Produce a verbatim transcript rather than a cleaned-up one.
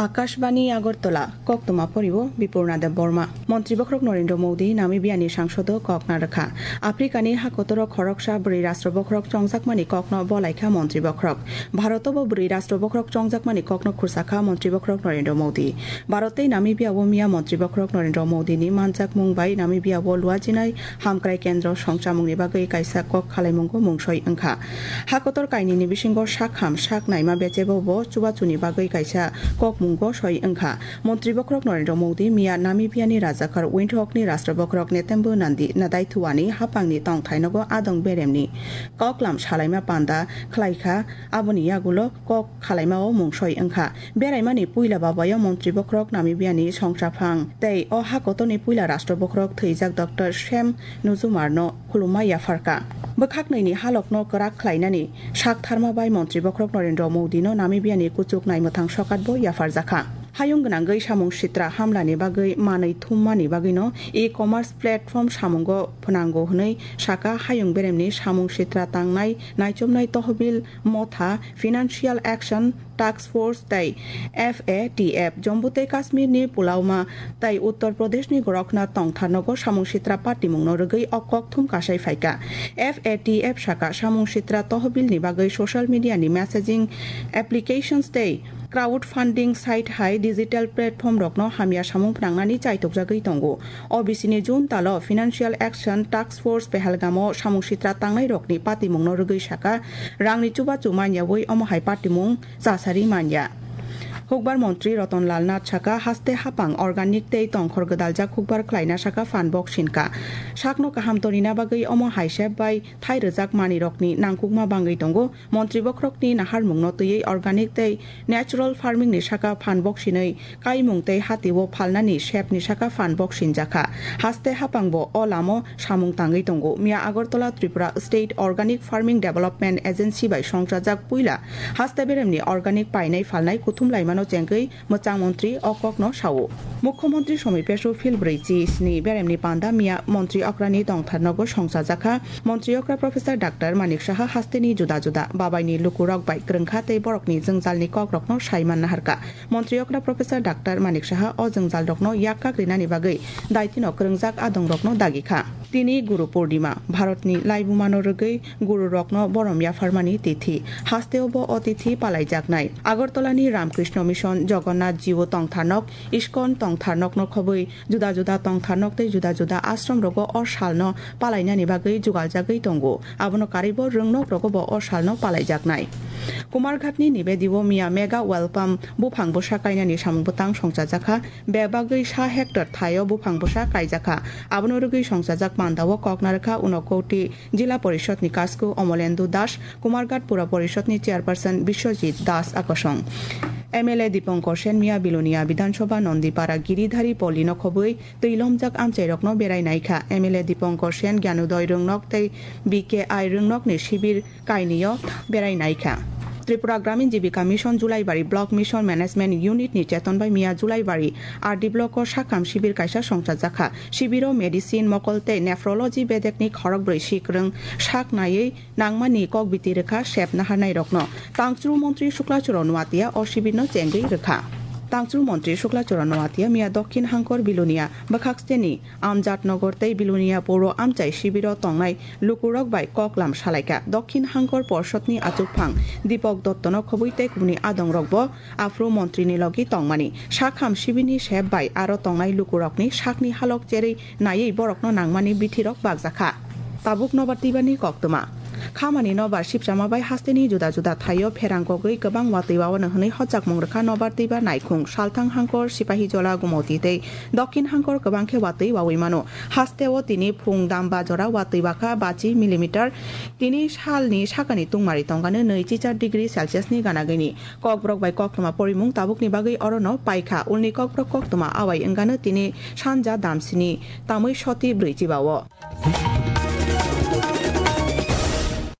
Akashbani Agartala, koktwma poriwo Bipurna Debbarma. Montri bokhorok Narendra Modi Namibia ni sangsodo kok narwkha. Africa ni hakotoro khoroksa bwrwi rashtra bokhorok chongjakmani kokno bolaikha montri bokhorok. Bharoto bo bwrwi rashtra bokhorok chongjakmani kokno khursa kha montri bokhorok Narendra Modi. Bharat tei Namibia o miya montri bokhorok Narendra Modi ni manjakmung bai Namibia o luajinai hamkrai kendro songchamungni bagwi kaisa kok khalaimungo mungsoi wngkha. Hakotor kainwini bisingo sak ham sak naima bechebo bo chubachuni bagwi kaisa kokmungo soi wngkha. Montri bokhorok Narendra Modi miya Namibia ni rajakhor Windhoek ni rashtra bokhorok Netembo Nandi Nadaithuani hapangni tongthainogo adong beremni koklam salaima panda khlaikha, aboni yagulo kok khalaimao mungsoi wngkha. Beraimani puila babayo montri bokhorok Namibia ni songchaphang tei o hakotorni puila rashtra bokhorok thwijak Doctor Sam Nujumar no khulumma yapharkha. Bwkhaknwini halokno kwrak khlainani saktharma bai montri bokhorok Narendra Modi no Namibia ni kuchuk naimwthang sokat bo yapharjakha. Hayung gwnangwi samung sitra hamlani bagwi manwi thummani bagwino e-commerce platform samungo phnango hwnwi saka hayung beremni samung sitra tangnai naichomnai tohbil motha Financial Action Task Force tei F A T F, Jammu tei Kashmir ni Pulwama tei Uttar Pradesh ni Gorakhnath tongtharnogo samung sitra patimungno rwgwi o kokthum kasai phaikha. F A T F saka samung sitra tohbil ni bagwi social media ni messaging applications tei crowdfunding site hai digital platform rokno hamya samung phnangnani chaitokjagwi tongo. O bisini June talo Financial Action Task Force Pahalgam o samung sitra tangnai rokni patimungno rwgwi saka, rangni chubachu manyawi omo hai patimung chasari manya. Hukbar montri Ratan Lal Nath saka, haste hapang organic tei tongkhor gwdaljak hukbar khlaina saka phan bok sinka. Sakno kaham tonina bagwi omo hai sep bai thai rwjak manwi rokni nangkukma bangwi tongo. Montri bokhorokni naharmungno twiwi organic tei natural farming ni saka phan bok sinwi kaimung tei hatio phalnani sepni saka phan bok sinjakha. Haste hapangbo o lamo samung tangwi tongo. Miya Agartala Tripura State Organic Farming Development Agency bai songchajak puila haste beremni organic painai phalnai kuthum laimano chengwi mwchang montri o kokno sao. Mukhyamantri Somi Pesu phil brwi chi sni beremni panda miya montri okrani tongtharnogo songchajakha. Montri okra Professor Doctor Manik Saha hasteni juda juda babaini lukurok bai kwrwngkha tei borokni jwngjalni kokrokno saiman naharkha. Montri okra Professor Doctor Manik Saha o jwngjalrokno yak kak rinani bagwi daitino kwrwngjak adongrokno dagikha. Tini Guru Purnima, Bharatni laibumano rwgwi gururokno borom yapharmani tithi. Hasteo bo o tithi palaijaknai. Agartalani Ramkrishna Mission, Jagannath Jiu tongtharnok, ISKCON tongtharnokno khobwi juda juda tongtharnok tei juda juda ashramrogo o salno palainani bagwi jugaljagwi tongo. Abono karwibo rwngnokrogobo o salno palaijaknai. Kumarghatni Nibedio miya mega welcome buphang bwsa kainani samung bwtang songchajakha. Bebagwi sa hectare thaio buphang bwsa kaijakha. Abono rwgwi songchajak pandao kok narwkha Unakoti Jila Porishadni Kasku Omolendu Das, Kumarghat Pura Porishadni Chairperson Biswajit Das akosong. M L A Dipankar Sen miya Bilonia Bidhan Sabha Nondipara Giridhari Polino khobwi twi lomjak amchairokno berai naikha. M L A Dipankar Sen Gyanodoi Rwngnok tei B K I Rwngnokni sibir kainwio berai naikha. Tripura Gramin Jibika Mission Julaibari Block Mission Management Unit ni cheton bai miya Julaibari R D Block o sakham sibir kaisa songchajakha. Sibiro medicine, mokol tei nephrology bedekni khorokbrwi sikrwng sak naiwi nangmani kokbiti rwkha sep naharnairokno. Tangchru montri Sukla Choro Noatia o sibirno chengwi rwkha. Tangchru montri Sukla Choro Noatia miya Dokhin Hangkor Bilonia bwkhaksteni Amjad Nagar tei Bilonia Poro amchai sibiro tongnai lukurok bai koklam salaikha. Dokhin Hangkor Porshotni achukphang Dipok Dottono khobwi tei kubuni adongrokbo aphuru montrini logi tongmani. Sakham sibini sep bai aro tongnai lukurokni sakni halok cherwi naiwi borokno nangmani bithirok bakjakha. Tabuk nobar twibani koktwma. Khamani nobar sipchama bai hasteni juda juda thaio pherang kogwi kwbang watwi wawano hwnwi hochakmung rwkha nobar twiba naikhung, Salthang Hangkor, Sipahijola, Gumoti tei Dokhin Hangkor kwbang khe watwi wawi mano. Hasteo tini phung damba jora watwi wakha bachi millimeter. Tini salni sakani tungmari tongkha nwi chichar degree Celsius ni gana gini. Kokborok bai koktwma porimung tabukni bagwi orono paikha. Ulni kokborok koktwma awai wngkha nwi tini sanja damsini tamwi soti brwi chiba-o.